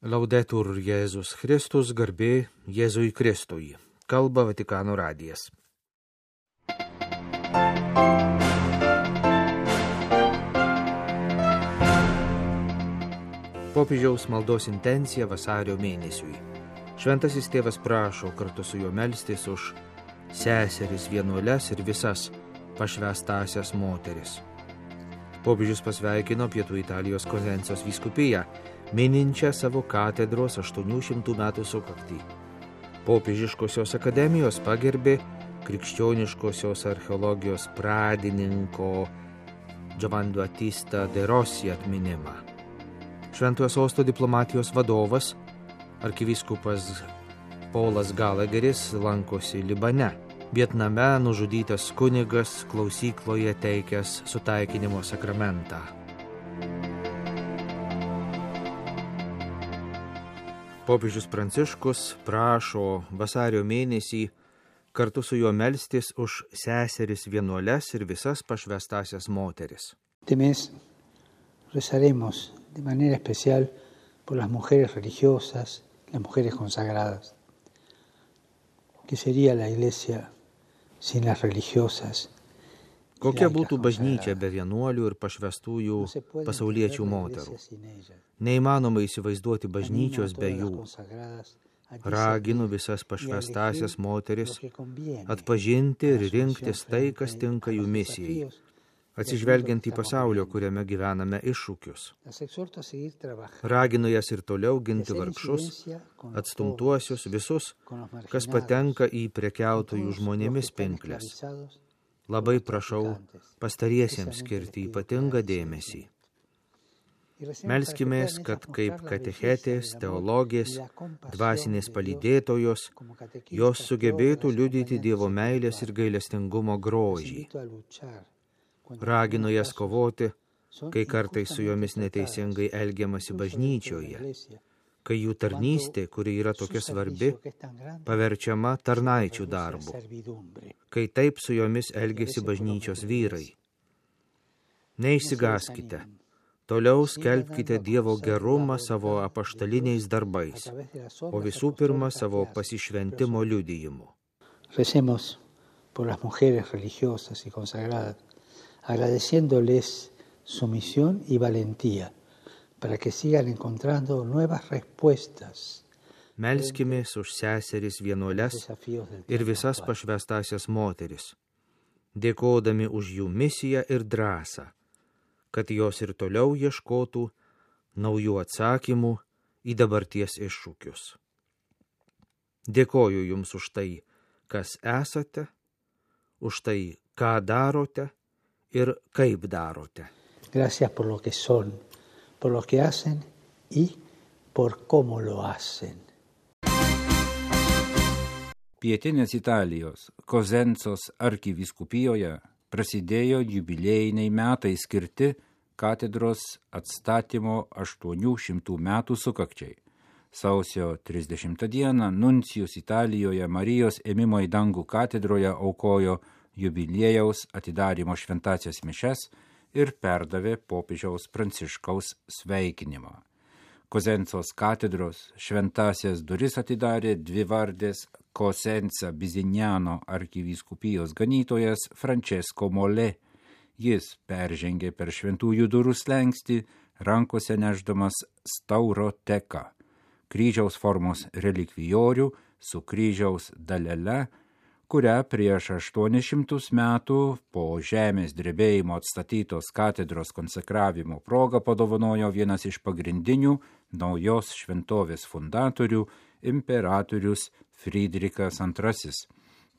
Laudetur Jėzus Kristus, garbė Jėzui Kristui. Kalba Vatikano radijas. Popiežiaus maldos intencija vasario mėnesiui. Šventasis tėvas prašo kartu su juo melstis už seseris vienuoles ir visas pašvęstąsias moteris. Popiežius pasveikino Pietų Italijos Kozencijos vyskupiją, mininčią savo katedros 800 metų sukaktį. Popiežiškosios akademijos pagerbė krikščioniškosios archeologijos pradininko Giovanni Battista de Rossi atminimą. Šventojo sosto diplomatijos vadovas, arkivyskupas Paulas Galageris, lankosi Libane. Vietname nužudytas kunigas klausykloje teikęs sutaikinimo sakramentą. Popiežius Pranciškus prašo vasario mėnesį kartu su juo melstis už seseris vienuoles ir visas pašvęstąsias moteris. Este mes rezaremos de manera especial por las mujeres religiosas, las mujeres consagradas. ¿Qué sería la iglesia sin las religiosas? Kokia būtų bažnyčia be vienuolių ir pašvęstųjų pasauliečių moterų? Neįmanoma įsivaizduoti bažnyčios be jų. Raginu visas pašvęstąsias moteris atpažinti ir rinktis tai, kas tinka jų misijai, atsižvelgiant į pasaulio, kuriame gyvename, iššūkius. Raginu jas ir toliau ginti vargšus, atstumtuosius, visus, kas patenka į prekiautojų žmonėmis pinklės. Labai prašau pastariesiems skirti ypatingą dėmesį. Melskimės, kad kaip katechetės, teologės, dvasinės palydėtojos, jos sugebėtų liudyti Dievo meilės ir gailestingumo grožį. Raginu jas kovoti, kai kartais su jomis neteisingai elgiamasi bažnyčioje, kai jų tarnystė, kuri yra tokia svarbi, paverčiama tarnaičių darbu, kai taip su jomis elgiasi bažnyčios vyrai. Neišsigąskite, toliau skelbkite Dievo gerumą savo apaštaliniais darbais, o visų pirma savo pasišventimo liudijimu. Recemos por las mujeres religiosas y consagradas, agradeciéndoles su misión y valentía, para que sigan encontrando nuevas respuestas. Melskimės už seseris vienuoles ir visas pašvęstąsias moteris, dėkodami už jų misiją ir drąsą, kad jos ir toliau ieškotų naujų atsakymų į dabarties iššūkius. Dėkoju jums už tai, kas esate, už tai, ką darote ir kaip darote. Gracias por lo que son, por lo que hacen y por cómo lo hacen. Pietinės Italijos Kozencos arkivyskupijoje prasidėjo jubiliejiniai metai skirti katedros atstatymo 800 metų sukakčiai. Sausio 30 dieną nuncijus Italijoje Marijos ėmimo į dangų katedroje aukojo jubiliejaus atidarymo šventąsias mišias ir perdavė popiežiaus Pranciškaus sveikinimą. Kozencos katedros šventąsias duris atidarė dvivardės Cosenza Bizignano arkivyskupijos ganytojas Francesco Molé. Jis peržengė per šventųjų durų slenkstį, rankose nešdamas stauro teką, kryžiaus formos relikvijorių su kryžiaus dalele, kurią prieš 800 metų po žemės drebėjimo atstatytos katedros konsekravimo proga padovanojo vienas iš pagrindinių naujos šventovės fundatorių imperatorius Frydrichas II.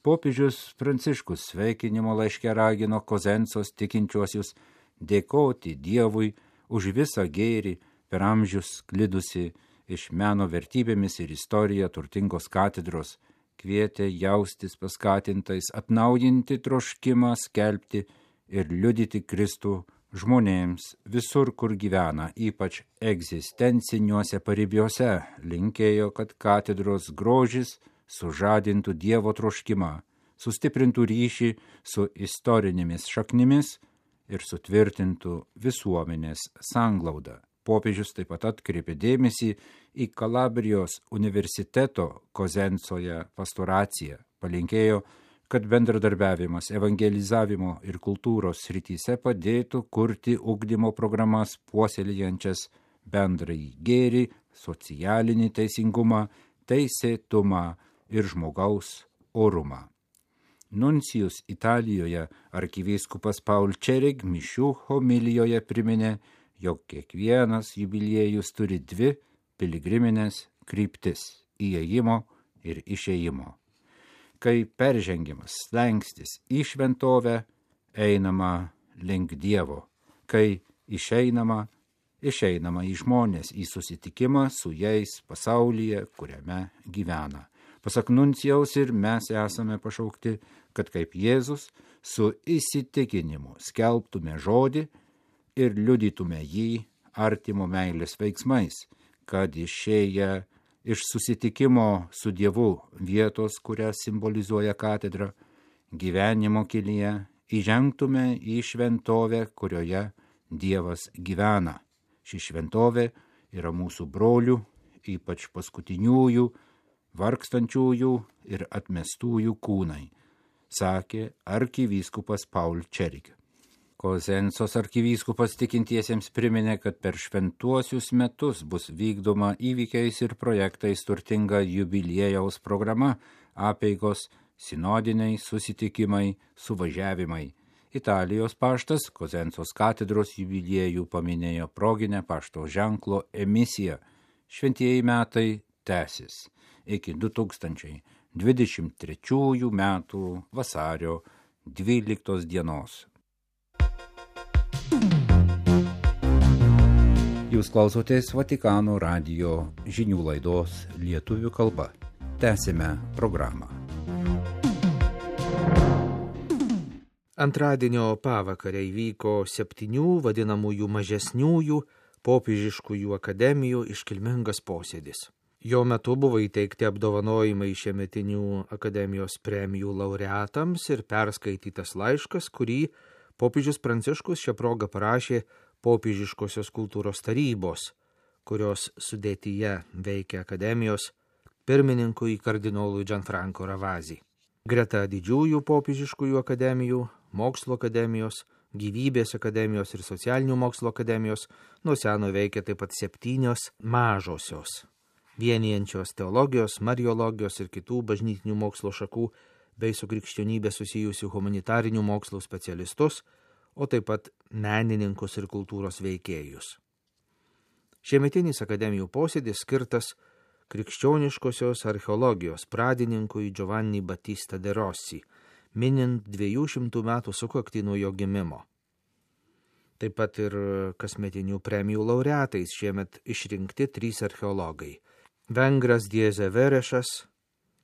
Popiežius Pranciškus sveikinimo laiške ragino Kozencos tikinčiuosius dėkoti Dievui už visą gėrį per amžius sklidusi iš meno vertybėmis ir istorija turtingos katedros, kvietė jaustis paskatintais atnaujinti troškimą skelbti ir liudyti Kristų žmonėms visur, kur gyvena, ypač egzistenciniuose paribiuose, linkėjo, kad katedros grožis sužadintų Dievo troškimą, sustiprintų ryšį su istorinėmis šaknimis ir sutvirtintų visuomenės sanglaudą. Popiežius taip pat atkreipė dėmesį į Kalabrijos universiteto Kozencoje pastoraciją, palinkėjo, kad bendradarbiavimas evangelizavimo ir kultūros srityse padėtų kurti ugdymo programas puoselėjančias bendrąjį gėrį, socialinį teisingumą, teisėtumą ir žmogaus orumą. Nuncijus Italijoje arkivyskupas Paul Čerig mišių homilijoje priminė, jog kiekvienas jubiliejus turi dvi piligriminės kryptis – įėjimo ir išėjimo. Kai peržengiamas slengstis į šventovę, einama link Dievo, kai išeinama į žmonės, į susitikimą su jais pasaulyje, kuriame gyvena. Pasak nuncijaus ir mes esame pašaukti, kad kaip Jėzus su įsitikinimu skelbtume žodį ir liudytume jį artimo meilės veiksmais, kad išėję iš susitikimo su Dievu vietos, kurią simbolizuoja katedra, gyvenimo kelyje įžengtume į šventovę, kurioje Dievas gyvena. Ši šventovė yra mūsų brolių, ypač paskutiniųjų, vargstančiųjų ir atmestųjų kūnai, sakė arkivyskupas Paul Čerig. Kozencos arkivyskupas tikintiesiems priminė, kad per šventuosius metus bus vykdoma įvykiais ir projektais turtinga jubiliejaus programa, apeigos, sinodiniai susitikimai, suvažiavimai. Italijos paštas Kozencos katedros jubiliejų paminėjo proginę pašto ženklo emisiją. Šventieji metai tęsis iki 2023 metų vasario 12 dienos. Jūs klausotės Vatikano radijo žinių laidos lietuvių kalba. Tęsime programą. Antradienio pavakarę įvyko 7 vadinamųjų mažesniųjų popiežiškųjų akademijų iškilmingas posėdis. Jo metu buvo įteikti apdovanojimai šiemetinių akademijos premijų laureatams ir perskaitytas laiškas, kurį popiežius Pranciškus šią progą parašė popiežiškosios kultūros tarybos, kurios sudėtyje veikia akademijos pirmininkui kardinolui Gianfranco Ravasi. Greta didžiųjų popiežiškųjų akademijų, mokslo akademijos, gyvybės akademijos ir socialinių mokslo akademijos nuo seno veikia taip pat 7 mažosios, vienijančios teologijos, mariologijos ir kitų bažnytinių mokslo šakų bei su krikščionybė susijusių humanitarinių mokslų specialistus, o taip pat menininkus ir kultūros veikėjus. Šiemetinis akademijų posėdis skirtas krikščioniškosios archeologijos pradininkui Giovanni Battista de Rossi, minint 200 metų sukaktį nuo jo gimimo. Taip pat ir kasmetinių premijų laureatais šiemet išrinkti 3 archeologai. Vengras Diese Verešas,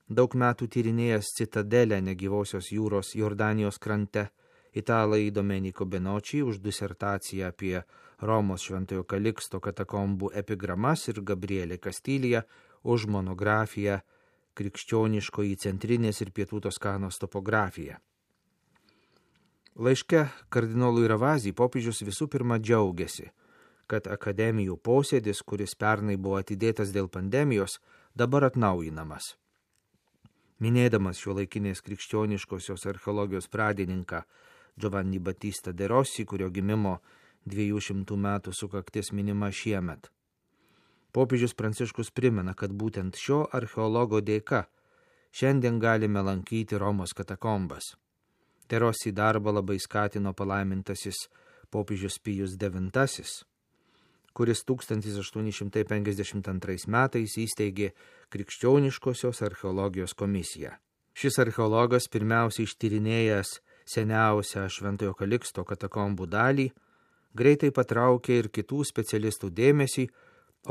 daug metų tyrinėjęs citadelę negyvosios jūros Jordanijos krante, italai Domenico Benoči už disertaciją apie Romos Šventojo Kaliksto katakombų epigramas ir Gabrielė Kastilija už monografiją Krikščioniškoji centrinės ir pietų Toskanos topografija. Laiške kardinolui Ravasi popiežius visų pirma džiaugiasi, kad akademijų posėdis, kuris pernai buvo atidėtas dėl pandemijos, dabar atnaujinamas. Minėdamas šiuolaikinės krikščioniškosios archeologijos pradininką Giovanni Battista de Rossi, kurio gimimo 200 metų sukaktis minima šiemet. Popiežius Pranciškus primena, kad būtent šio archeologo dėka šiandien galime lankyti Romos katakombas. De Rossi darbą labai skatino palaimintasis popiežius Pijus IX, kuris 1852 metais įsteigė Krikščioniškosios archeologijos komisiją. Šis archeologas pirmiausiai ištyrinėjęs seniausią Šventojo Kaliksto katakombų dalį, greitai patraukė ir kitų specialistų dėmesį,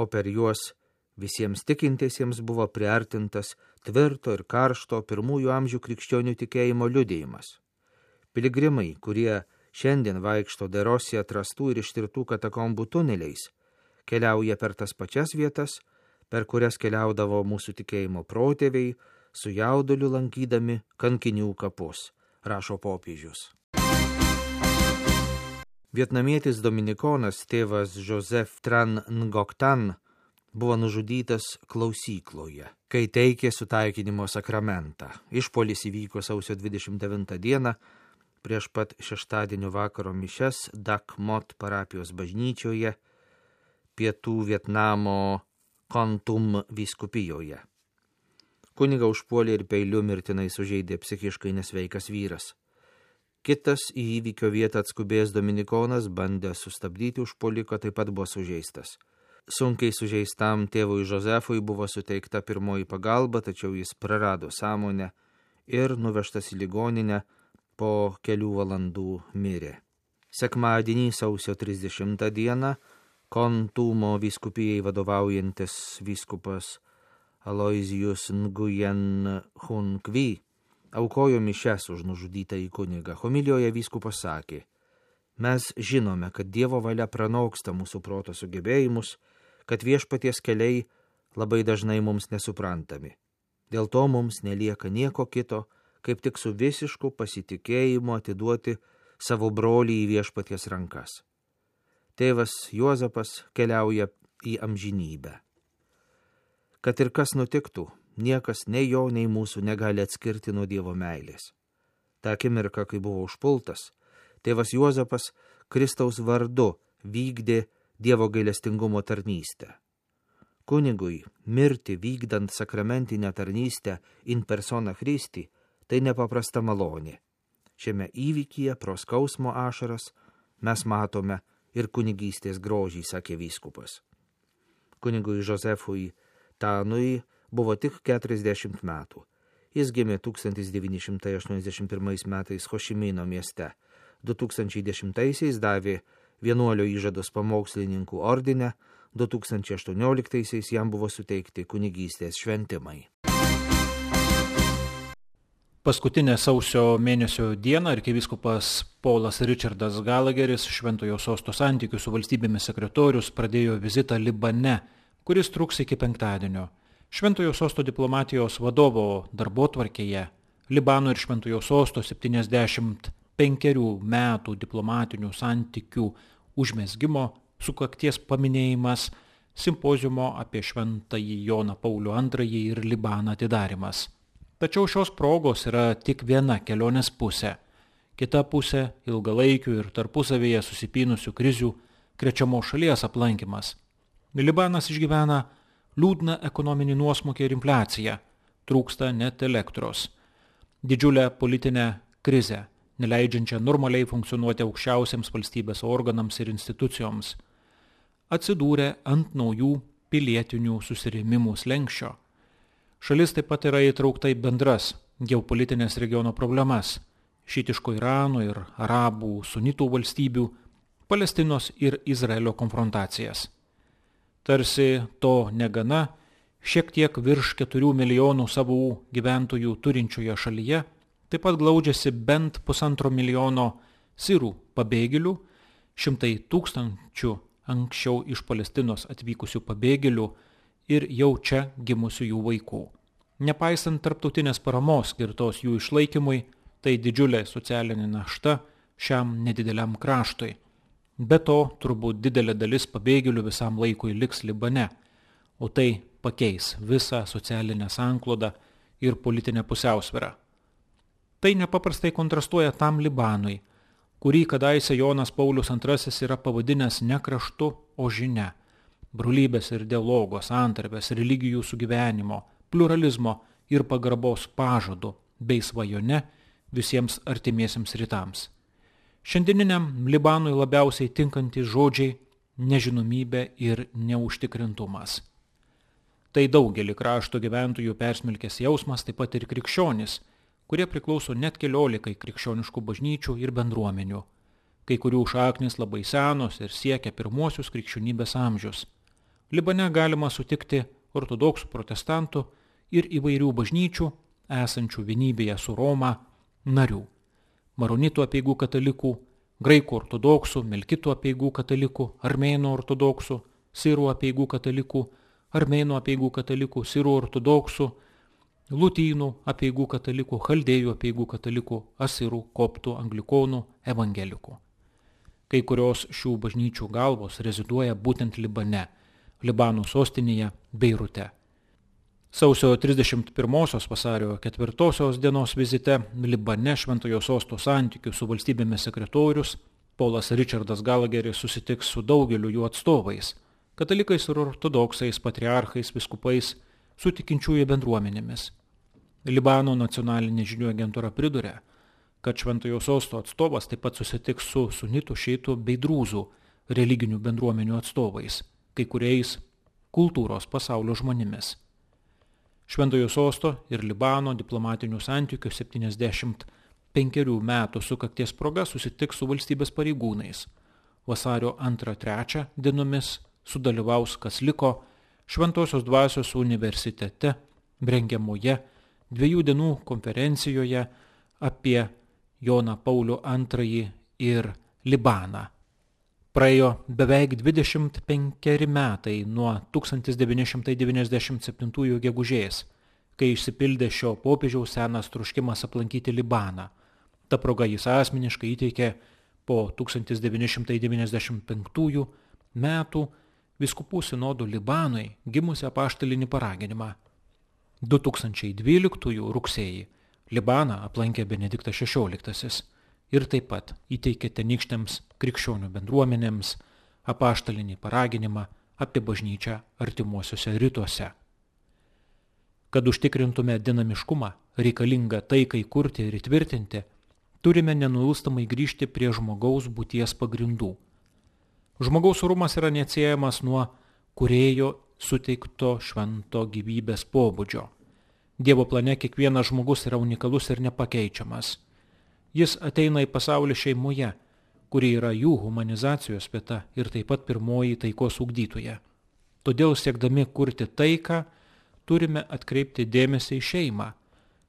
o per juos visiems tikintiesiems buvo priartintas tvirto ir karšto pirmųjų amžių krikščionių tikėjimo liudijimas. Piligrimai, kurie šiandien vaikšto De Rossi atrastų ir ištirtų katakombų tuneliais, keliauja per tas pačias vietas, per kurias keliaudavo mūsų tikėjimo protėviai, su jauduliu lankydami kankinių kapus, rašo popiežius. Vietnamietis dominikonas tėvas Joseph Tran Ngoc Tan buvo nužudytas klausykloje, kai teikė sutaikinimo sakramentą. Išpuolis įvyko sausio 29 dieną prieš pat šeštadienio vakaro mišias Dak Mot parapijos bažnyčioje pietų Vietnamo Kon Tum vyskupijoje. Kunigą užpuolė ir peiliu mirtinai sužeidė psichiškai nesveikas vyras. Kitas į įvykio vietą atskubėjęs dominikonas bandė sustabdyti užpuoliką, taip pat buvo sužeistas. Sunkiai sužeistam tėvui Josefui buvo suteikta pirmoji pagalba, tačiau jis prarado sąmonę ir nuvežtas į ligoninę po kelių valandų mirė. Sekmadienį sausio 30 dieną Kon Tumo vyskupijai vadovaujantis vyskupas Aloysius Nguyen Hun Kvi aukojo mišias už nužudytąjį kunigą. Homilijoje vyskupas sakė: mes žinome, kad Dievo valia pranoksta mūsų proto sugebėjimus, kad viešpaties keliai labai dažnai mums nesuprantami. Dėl to mums nelieka nieko kito, kaip tik su visišku pasitikėjimu atiduoti savo brolį į viešpaties rankas. Tėvas Juozapas keliauja į amžinybę. Kad ir kas nutiktų, niekas nei jo, nei mūsų negali atskirti nuo Dievo meilės. Ta akimirka, kai buvo užpultas, tėvas Juozapas Kristaus vardu vykdė Dievo gailestingumo tarnystę. Kunigui mirti vykdant sakramentinę tarnystę in persona Christi tai nepaprasta malonė. Šiame įvykyje pro skausmo ašaras mes matome ir kunigystės grožį, sakė vyskupas. Kunigui Josefui Tanui buvo tik 40 metų. Jis gimė 1981 metais Hošimino mieste. 2010-aisiais davė vienuolio įžadus pamokslininkų ordine, 2018-aisiais jam buvo suteikti kunigystės šventimai. Paskutinę sausio mėnesio dieną arkivyskupas Paulas Richardas Gallagheris, Šventojo Sosto santykių su valstybėmis sekretorius, pradėjo vizitą Libane, kuris truks iki penktadienio. Šventojo Sosto diplomatijos vadovo darbotvarkėje Libano ir Šventojo Sosto 75 metų diplomatinių santykių užmezgimo sukakties paminėjimas, simpoziumo apie Šventąjį Joną Paulių II ir Libaną atidarimas. Tačiau šios progos yra tik viena kelionės pusė. Kita pusė – ilgalaikių ir tarpusavėje susipynusių krizių krečiamos šalies aplankymas. Libanas išgyvena liūdną ekonominį nuosmukį ir infliaciją, trūksta net elektros. Didžiulę politinę krizę, neleidžiančią normaliai funkcionuoti aukščiausiams valstybės organams ir institucijoms, atsidūrė ant naujų pilietinių susirėmimų slenksčio. Šalis taip pat yra įtraukta į bendras geopolitinės regiono problemas – šiitiško Irano ir arabų sunitų valstybių, Palestinos ir Izraelio konfrontacijas. Tarsi to negana, šiek tiek virš 4 milijonų savų gyventojų turinčioje šalyje taip pat glaudžiasi bent 1,5 milijono sirų pabėgėlių, 100 tūkstančių anksčiau iš Palestinos atvykusių pabėgėlių ir jau čia gimusių jų vaikų. Nepaisant tarptautinės paramos skirtos jų išlaikymui, tai didžiulė socialinė našta šiam nedideliam kraštui. Be to, turbūt didelė dalis pabėgėlių visam laikui liks Libane, o tai pakeis visą socialinę sanklodą ir politinę pusiausvyrą. Tai nepaprastai kontrastuoja tam Libanui, kurį kadaise Jonas Paulius II yra pavadinęs ne kraštu, o žinia. Brolybės ir dialogo, santarvės, religijų sugyvenimo, pluralizmo ir pagarbos pažadu bei svajone visiems artimiesiems rytams. Šiandieniniam Libanui labiausiai tinkantys žodžiai – nežinomybė ir neužtikrintumas. Tai daugelį krašto gyventojų persmelkęs jausmas, taip pat ir krikščionys, kurie priklauso net 14 krikščioniškų bažnyčių ir bendruomenių. Kai kurių šaknys labai senos ir siekia pirmuosius krikščionybės amžius. Libane galima sutikti ortodoksų protestantų ir įvairių bažnyčių, esančių vienybėje su Roma, narių. Maronitų apeigų katalikų, graikų ortodoksų, melkitų apeigų katalikų, armėnų ortodoksų, sirų apeigų katalikų, armėnų apeigų katalikų, sirų ortodoksų, lutynų apeigų katalikų, chaldėjų apeigų katalikų, asirų, koptų, anglikonų, evangelikų. Kai kurios šių bažnyčių galvos reziduoja būtent Libane, Libano sostinėje Beirute. Sausio 31 vasario 4 dienos vizite Libane Šventojo Sosto santykių su valstybėmis sekretorius Paulas Richardas Gallagheris susitiks su daugeliu jų atstovais, katalikais ir ortodoksais, patriarchais, viskupais, su tikinčiųjų bendruomenėmis. Libano nacionalinė žinių agentūra priduria, kad Šventojo Sosto atstovas taip pat susitiks su sunitų, šiitų bei drūzų religinių bendruomenių atstovais, kai kuriais kultūros pasaulio žmonėmis. Šventojo Sosto ir Libano diplomatinių santykių 75 metų sukakties proga susitiks su valstybės pareigūnais. Vasario 2-3 dienomis sudalyvaus, kas liko, Šventosios dvasios universitete rengiamoje 2 dienų konferencijoje apie Joną Paulių II ir Libaną. Praėjo beveik 25 metai nuo 1997 gegužės, kai išsipildė šio popiežiaus senas troškimas aplankyti Libaną. Ta proga jis asmeniškai įteikė po 1995 metų vyskupų sinodo Libanui gimusią apaštalinį paraginimą. 2012 rugsėjį Libaną aplankė Benediktas XVI ir taip pat įteikė tenykštėms krikščionių bendruomenėms apaštalinį paraginimą apie bažnyčią artimuosiuose rytuose. Kad užtikrintume dinamiškumą, reikalingą taikai kurti ir įtvirtinti, turime nenuilstamai grįžti prie žmogaus būties pagrindų. Žmogaus orumas yra neatsiejamas nuo kūrėjo suteikto švento gyvybės pobūdžio. Dievo plane kiekvienas žmogus yra unikalus ir nepakeičiamas. Jis ateina į pasaulį šeimoje, kuri yra jų humanizacijos vieta ir taip pat pirmoji taikos ugdytoja. Todėl siekdami kurti taiką, turime atkreipti dėmesį į šeimą,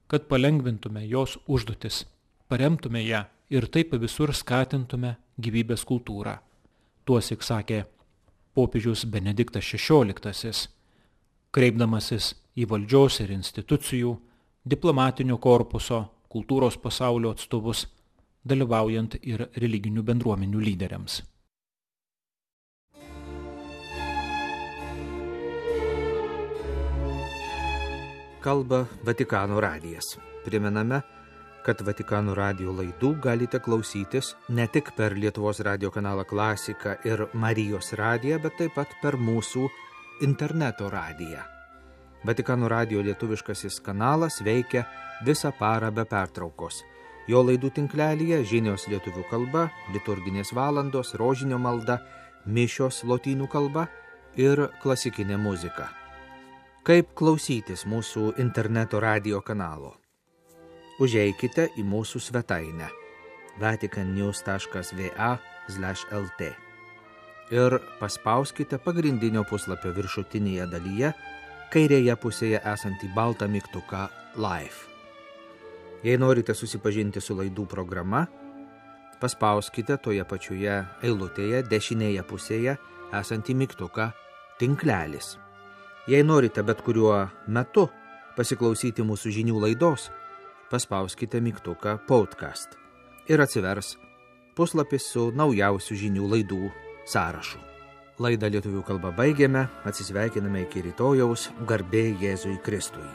kad palengvintume jos užduotis, paremtume ją ir taip visur skatintume gyvybės kultūrą. Tuosik sakė popiežius Benediktas XVI, kreipdamasis į valdžios ir institucijų, diplomatinio korpuso, kultūros pasaulio atstovus, dalyvaujant ir religinių bendruomenių lyderiams. Kalba Vatikano radijas. Primename, kad Vatikano radijo laidų galite klausytis ne tik per Lietuvos radijo kanalą Klasika ir Marijos radiją, bet taip pat per mūsų interneto radiją. Vatikano radijo lietuviškasis kanalas veikia visą parą be pertraukos. Jo laidų tinklelyje žinios lietuvių kalba, liturginės valandos, rožinio malda, mišios lotynų kalba ir klasikinė muzika. Kaip klausytis mūsų interneto radijo kanalo? Užeikite į mūsų svetainę vaticannews.va/lt ir paspauskite pagrindinio puslapio viršutinėje dalyje kairėje pusėje esantį baltą mygtuką Live. Jei norite susipažinti su laidų programa, paspauskite toje pačioje eilutėje dešinėje pusėje esantį mygtuką Tinklelis. Jei norite bet kuriuo metu pasiklausyti mūsų žinių laidos, paspauskite mygtuką Podcast ir atsivers puslapis su naujausių žinių laidų sąrašu. Laidą lietuvių kalba baigėme, atsisveikiname iki rytojaus, garbė Jėzui Kristui.